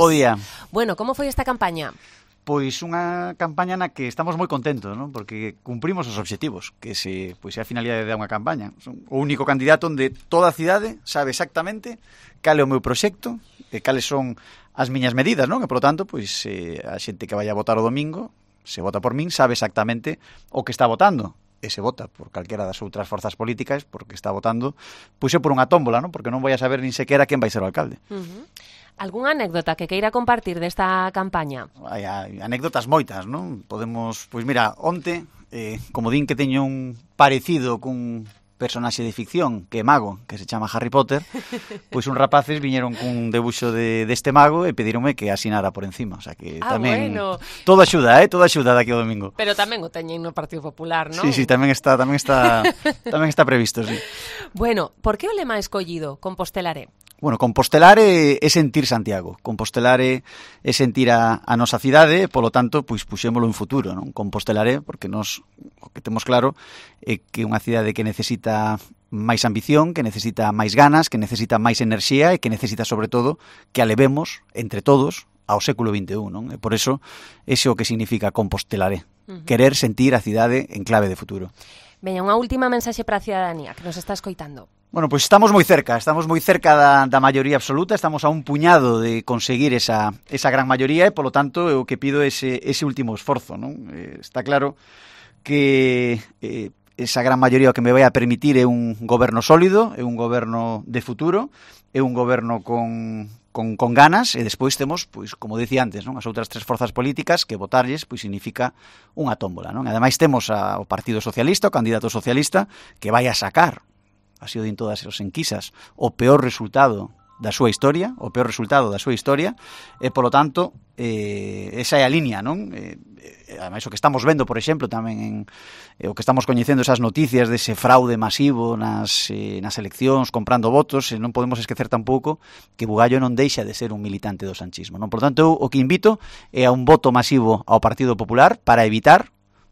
Bo día. Bueno, como foi esta campaña? Pois unha campaña na que estamos moi contentos, non? Porque cumprimos os obxectivos, que é a finalidade da unha campaña. Son o único candidato onde toda a cidade sabe exactamente cal é o meu proxecto e cales son as miñas medidas, non? E, polo tanto, pois, a xente que vai a votar o domingo, se vota por min, sabe exactamente o que está votando. E se vota por calquera das outras forzas políticas, porque está votando, pois é por unha tómbola, non? Porque non vai a saber nin sequera quen vai ser o alcalde. Algúnha anécdota que queira compartir desta campaña? Hai anécdotas moitas, non? Podemos, pois mira, onte, como din que teño un parecido cun personaxe de ficción que é mago, que se chama Harry Potter, pois uns rapaces viñeron cun debuxo deste mago e pedironme que asinara por encima, o sea que tamén bueno. Todo axuda daqui ao domingo. Pero tamén o teñen no Partido Popular, non? Sí, tamén está previsto, sí. Bueno, por que o lema escollido Compostelaré? Bueno, Compostelar é sentir Santiago. Compostelar é sentir a nosa cidade e, polo tanto, pois puxémolo en futuro, non? Compostelaré, porque nós o que temos claro é que unha cidade que necesita máis ambición, que necesita máis ganas, que necesita máis enerxía e que necesita, sobre todo, que a levemos, entre todos, ao século XXI, non? E por eso, ese é o que significa Compostelaré. Querer sentir a cidade en clave de futuro. Veña, unha última mensaxe para a cidadanía que nos está escoitando. Bueno, pois estamos moi cerca da maioría absoluta, estamos a un puñado de conseguir esa gran maioría e, polo tanto, o que pido é ese último esforzo, non? Está claro que esa gran maioría o que me vai a permitir é un goberno sólido, é un goberno de futuro, é un goberno con ganas e despois temos, pois, como dicía antes, non? As outras tres forzas políticas que votarlles pois significa unha tómbola, non? Ademais temos o Partido Socialista, o candidato socialista, que vai a sacar, así o din todas as enquisas, o peor resultado da súa historia, e, polo tanto, esa é a liña, non? Ademais, o que estamos vendo, por exemplo, tamén o que estamos coñecendo esas noticias dese fraude masivo nas eleccións, comprando votos, non podemos esquecer tampouco que Bugallo non deixa de ser un militante do sanchismo, non? Por tanto, o que invito é a un voto masivo ao Partido Popular para evitar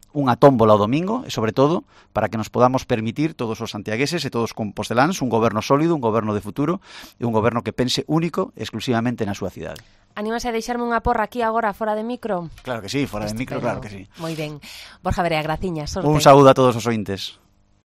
unha tómbola o domingo e, sobre todo, para que nos podamos permitir todos os santiagueses e todos os composteláns un goberno sólido, un goberno de futuro e un goberno que pense único e exclusivamente na súa cidade. Anímase a deixarme unha porra aquí agora, fora de micro? Claro que sí, fora de micro, claro que sí. Moi ben. Borja Verea, graciñas. Un saúdo a todos os ointes.